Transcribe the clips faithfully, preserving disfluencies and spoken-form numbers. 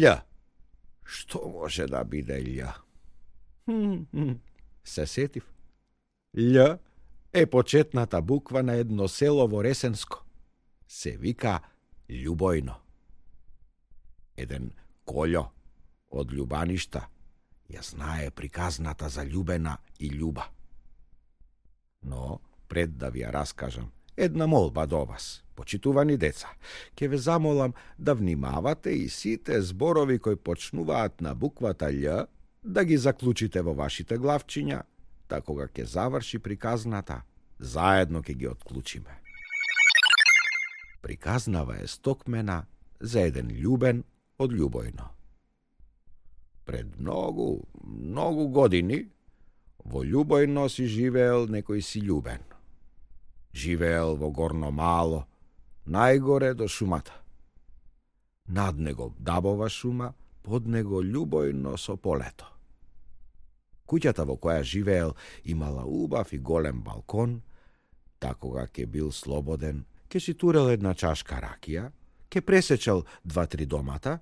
Л. Што може да биде Л? Се сетив. Л е почетната буква на едно село во Ресенско. Се вика Љубојно. Еден Кољо од Љубаништа ја знае приказната за Љубена и Љуба. Но, пред да ви ја раскажам, една молба до вас, почитувани деца. Ке ве замолам да внимавате и сите зборови кои почнуваат на буквата Љ, да ги заклучите во вашите главчиња, та кога ќе заврши приказната, заедно ќе ги отклучиме. Приказнава е стокмена за еден Љубен од Љубојно. Пред многу, многу години во Љубојно си живеел некој си Љубен. Живеел во горно мало, најгоре до шумата. Над него дабова шума, под него Љубојно со полето. Куќата во која живеел имала убав и голем балкон, та кога ќе бил слободен, ќе си турел една чашка ракија, ќе пресечел два-три домата,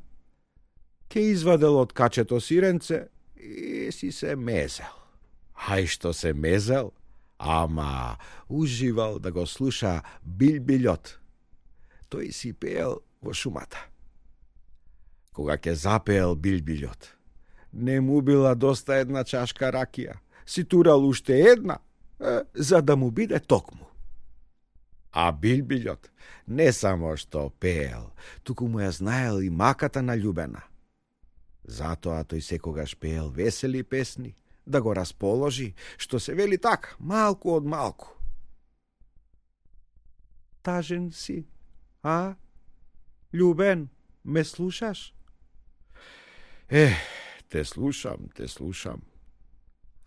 ќе извадел од качето сиренце и си се мезел. Ај што се мезел, ама уживал да го слуша билбилјот. Тој си пеел во шумата. Кога ќе запеел билбилјот, не му била доста една чашка ракија, си турал уште една, е, за да му биде токму. А билбилјот не само што пеел, туку му ја знаел и маката на Љубена. Затоа тој секогаш пеел весели песни, да го расположи, што се вели така, малку од малку. Тажен си, а? Љубен, ме слушаш? Е, те слушам, те слушам.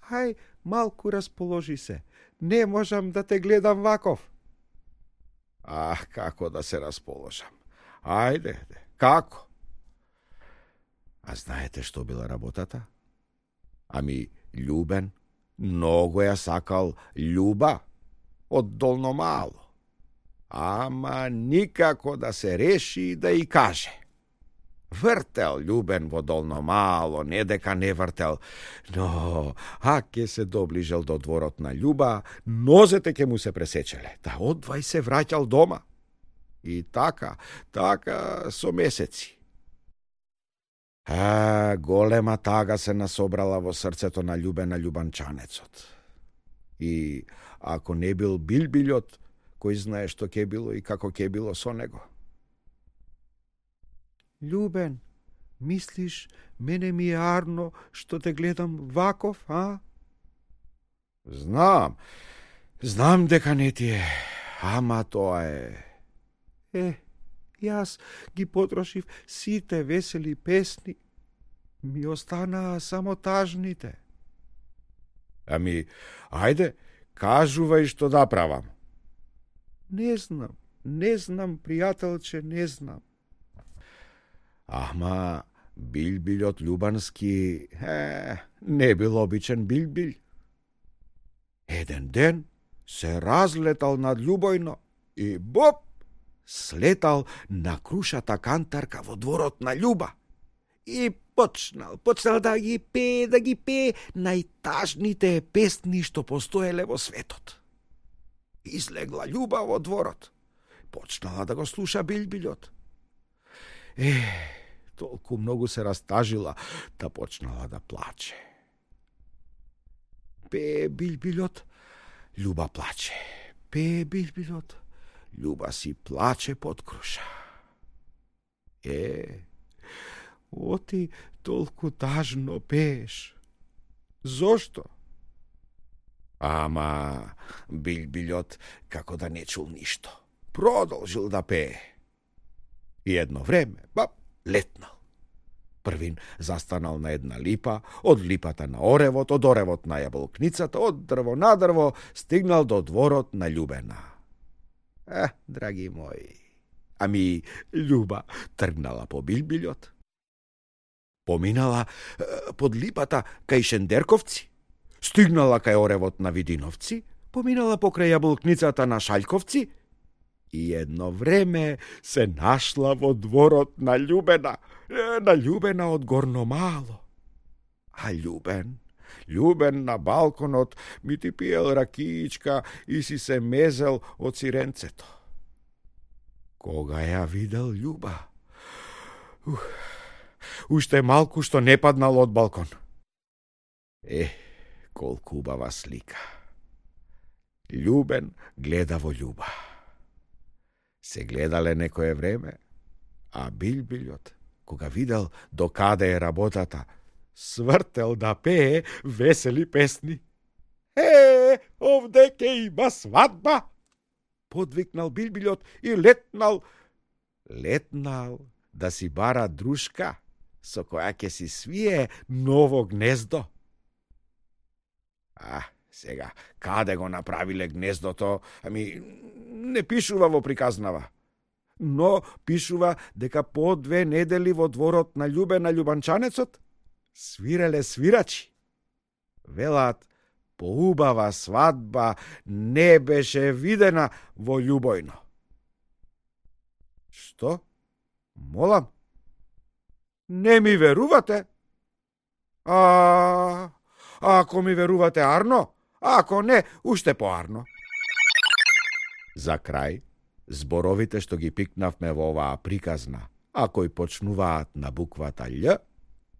Хај, малку расположи се, не можам да те гледам ваков. Ах, како да се расположам. Ајде, како? А знаете што била работата? Ами, Љубен многу ја сакал Љуба од долно мало. Ама никако да се реши да и каже. Вртел Љубен во долно мало, не дека не вртел, но а ке се доближел до дворот на Љуба, нозете ке му се пресечеле, та одвај се враќал дома. И така, така со месеци. А, голема тага се насобрала во срцето на Љубена љубанчанецот. И ако не бил билбилјот, кој знае што ќе било и како ќе било со него. Љубен, мислиш, мене ми е арно што те гледам ваков, а? Знам, знам дека не ти е, ама тоа е. Е, јас ги потрошив сите весели песни, ми останаа само тажните. Ами, ајде, кажувај што да правам. Не знам, не знам, пријателче, не знам. Ама, билбилјот љубански, е, не бил обичен билбил. Еден ден се разлетал над Љубојно и боп, слетал на крушата кантарка во дворот на Љуба. И почнал, почнал да ги пее, да ги пее најтажните песни што постоеле во светот. Излегла Љуба во дворот. Почнала да го слуша билбилјот. Е, толку многу се растажила, да почнала да плаче. Пее билбилјот, Љуба плаче. Пее билбилјот, Љуба си плаче под круша. Е, оти толку тажно пееш. Зошто? Ама билбилјот како да не чул ништо. Продолжил да пее. И едно време, бап, летнал. Првин застанал на една липа, од липата на оревот, од оревот на јаболкницата, од дрво на дрво, стигнал до дворот на Љубена. Е, драги мои, ами Љуба тргнала по билбилјот. Поминала е, под липата кај Шендерковци, стигнала кај оревот на Видиновци, поминала покрај јаболкницата на Шаљковци И едно време се нашла во дворот на Љубена, на Љубена од Горномало. А Љубен, Љубен на балконот ми ти пиел ракиичка и си се мезел од сиренцето. Кога ја видел Љуба, ух, уште малку што не паднал од балкон. Е, колку убава слика. Љубен гледа во Љуба. Се гледале некое време, а Билбилјот, кога видел докаде е работата, свртел да пее весели песни. Е, овде ке има свадба! Подвикнал Билбилјот и летнал, летнал да си бара друшка, со која ќе си свие ново гнездо. А, сега, каде го направиле гнездото, ами, не пишува во приказнава. Но пишува дека по две недели во дворот на Љубена Љубанчанецот свиреле свирачи. Велат, поубава свадба не беше видена во Љубојно. Што? Молам? Не ми верувате? А, ако ми верувате арно, ако не, уште поарно. За крај, зборовите што ги пикнавме во оваа приказна, а кои почнуваат на буквата Љ,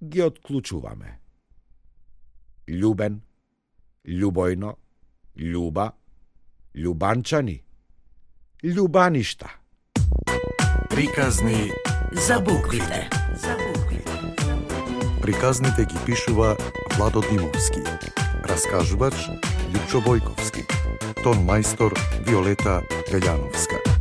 ги отклучуваме. Љубен, Љубојно, Љуба, Љубанчани, Љубаништа. Приказни за буквите. За буквите. Приказните ги пишува Владо Димовски. Раскажувач Лјупчо Бојковски. Тон мајстор Виолета Гаљановска.